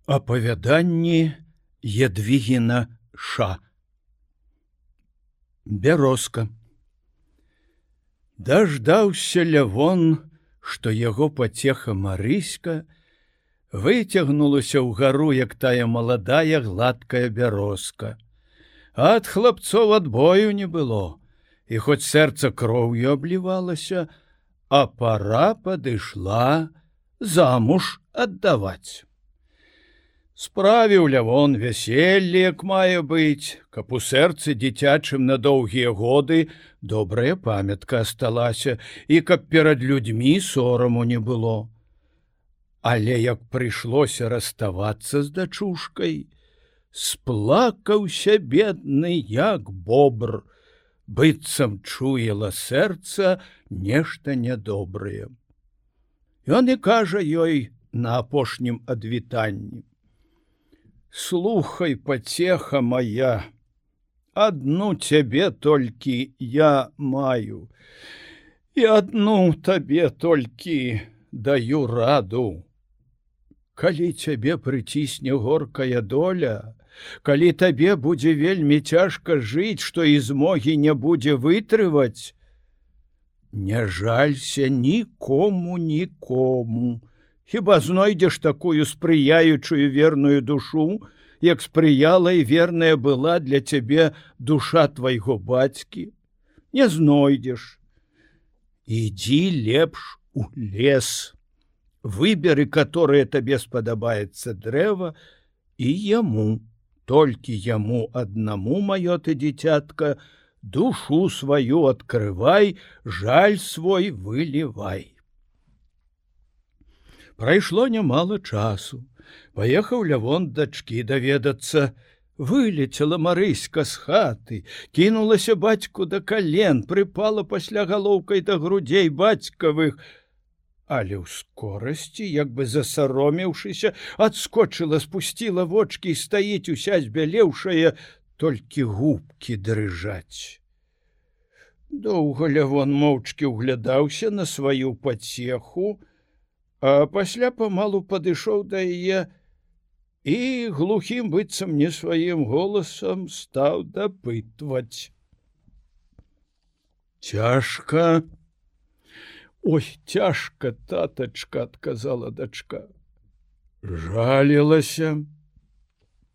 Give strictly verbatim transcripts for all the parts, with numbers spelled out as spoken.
Апавяданні Ядвігіна Ша. Бярозка. Даждаўся Лявон, што яго пацеха Марыська выцягнулася ўгару, як тая маладая гладкая бярозка. А ад хлапцоў адбою не было, і хоць сэрца кроўю аблівалася, а пара падышла замуж аддаваць. Справіў Лявон вяселле, як мае быць, каб у сэрцы дзіцячым на доўгія годы добрая памятка асталася і каб перад людзьмі сораму не было. Але як прыйшлося раставацца з дачушкай, сплакаўся бедны, як бобр, быццам чуела сэрца нешта нядобрае. Ён і кажа ёй на апошнім адвітанні: «Слухай, пацеха моя, адну цябе толькі я маю, і адну табе толькі даю раду. Калі цябе прыцісне горкая доля, калі табе будзе вельмі цяжка жыць, што і змогі не будзе вытрываць, не жалься нікому, нікому. Хіба знойдзеш такую спрыяючую верную душу, як спрыяла і верная была для цябе душа твайго бацькі? Не знойдзеш. Ідзі лепш у лес, выберы, которое табе спадабаецца дрэва, і яму, толькі яму аднаму, маё ты дзіцятка, душу сваю адкрывай, жаль свой вылівай. Прайшло нямала часу. Паехаў Лявон дачкі даведацца. Вылецела Марыська з хаты, кінулася бацьку да кален, прыпала пасля галоўкай да грудзей бацькавых, але ў скорасці, як бы засаромеўшыся, адскочыла, спусціла вочкі і стаіць уся збялеўшая, толькі губкі дрыжаць. Доўга Лявон моўчкі ўглядаўся на сваю пацеху, а пасля памалу падышоў да яе і глухім, быццам не сваім голасам стаў дапытваць: «Цяжка?» «Ой, цяжка, татачка», — адказала дачка. «Жалілася?»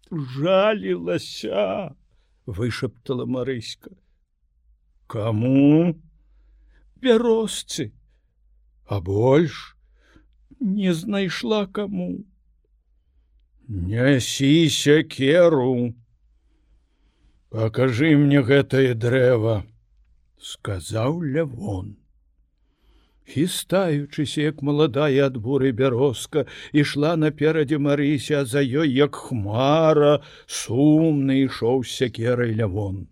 «Жалілася», — вышаптала Марыська. «Каму?» «Бярозцы». «А больш?» «Не знайшла каму». «Нясі сякеру. Пакажы мне гэтае дрэва», — сказаў Лявон. Хістаючыся, як маладая ад буры бярозка, ішла наперадзе Марыся, а за ёй, як хмара, сумны ішоў з сякерай Лявон.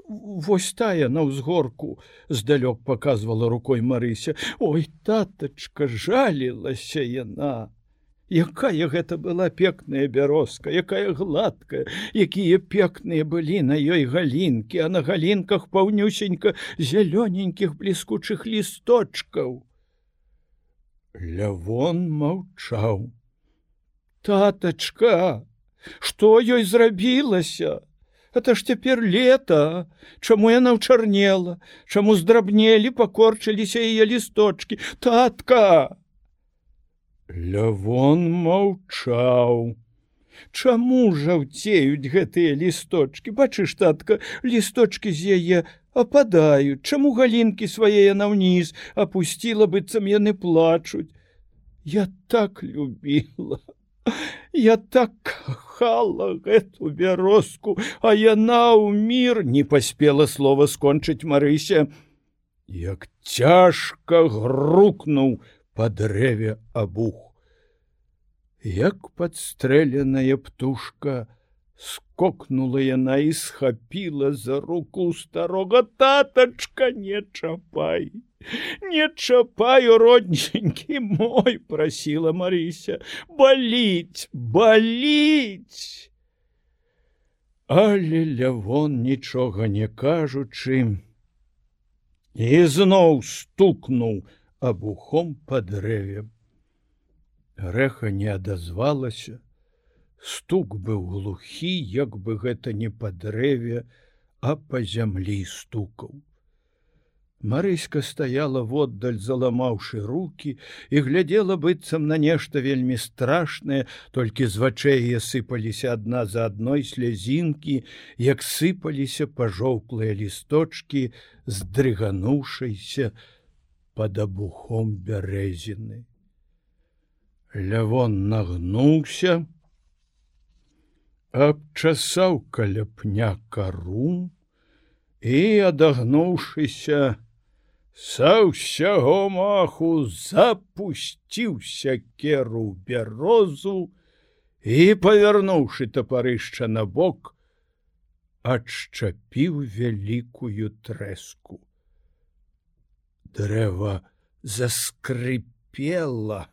«Вось тая на ўзгорку», — здалёк паказвала рукой Марыся. «Ой, татачка, жалілася яна! Якая гэта была пекная бярозка, якая гладкая, якія пекныя былі на ёй галінкі, а на галінках паўнюсенька зялёненькіх бліскучых лісточкаў». Лявон маўчаў. «Татачка, што ёй зрабілася? Это ж цяпер лета. Чаму яна ўчарнела? Чаму здрабнелі, пакорчыліся яе лісточкі? Татка!» Лявон маўчаў. «Чаму жаўцеюць гэтыя лісточкі? Бачыш, татка, лісточкі з яе ападаюць. Чаму галінкі свае яна ўніз апусціла, быццам яны плачуць? Я так любіла, я так кахала гэту бярозку, а яна ў мір...» Не паспела слова скончыць Марыся, як цяжка грукнуў па дрэве абух. Як падстрэленая птушка, скокнула яна і схапіла за руку старога. «Татачка, не чапай! Не чапай, родненькі мой!» — прасіла Марыся. «Баліць, баліць!» Але Лявон, нічога не кажучы, і зноў стукнуў абухом па дрэве. Рэха не адазвалася. Стук быў глухі, як бы гэта не па дрэве, а па зямлі стукаў. Марыська стаяла воддаль, заламаўшы рукі, і глядзела быццам на нешта вельмі страшнае, толькі з вачэй яе сыпаліся адна за адной слязінкі, як сыпаліся пажоўклыя лісточкі, здрыгануўшыся пад абухом бярэзіны. Лявон нагнуўся, абчасаў каля пня кару і, адагнуўшыся, са ўсяго маху запусціў сякеру ў бярозу і, павярнуўшы тапарышча на бок, адшчапіў вялікую трэску. Дрэва заскрыпела,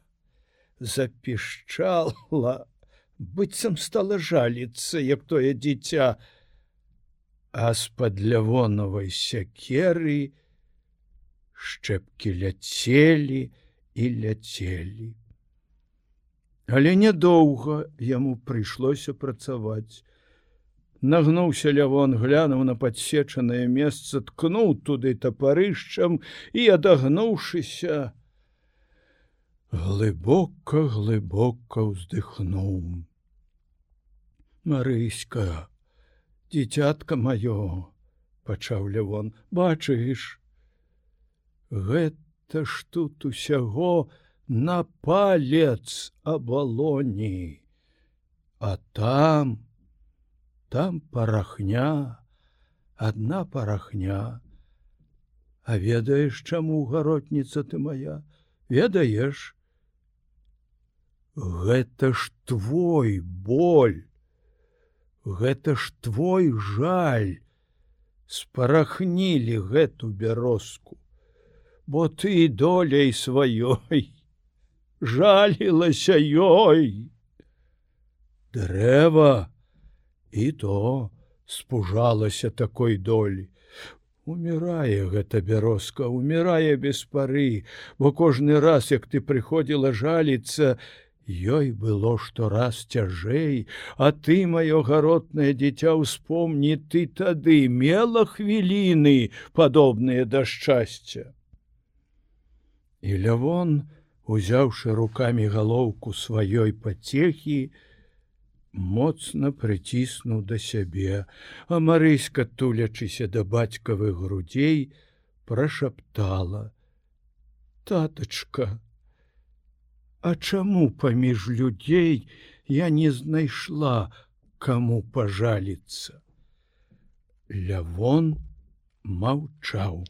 запішчала, быццам стала жаліцца, як тое дзіця, а з-пад лявонавай сякеры шчэпкі ляцелі і ляцелі. Але нядоўга яму прыйшлося працаваць. Нагнуўся лявон, глянуў на падсечанае месца, ткнуў туды тапарышчам і, адагнуўшыся, глыбока-глыбока ўздыхнуў. Марыська, дзіцятка маё, пачаў лявон, бачыш, гэта ж тут усяго на палец абалоні, а там, там парахня, адна парахня. А ведаеш, чаму, гаротніца ты моя, ведаеш? Гэта ж твой боль, гэта ж твой жаль спарахнілі гэту бярозку, бо ты доляй сваёй жалілася ёй. Дрэва і то спужалася такой долі. Умірае гэта бярозка, умірае без пары, бо кожны раз, як ты прыходзіла жаліцца, ёй было штораз цяжэй, а ты, маё гаротнае дзіця, успомні, ты тады мела хвіліны, падобныя да шчасця. І лявон, узяўшы рукамі галоўку сваёй пацехі, моцна прыціснуў да сябе, а Марыська, тулячыся да бацькавых грудзей, прашаптала: «Татачка, а чаму паміж людзей я не знайшла, каму пажаліцца?» Лявон маўчаў.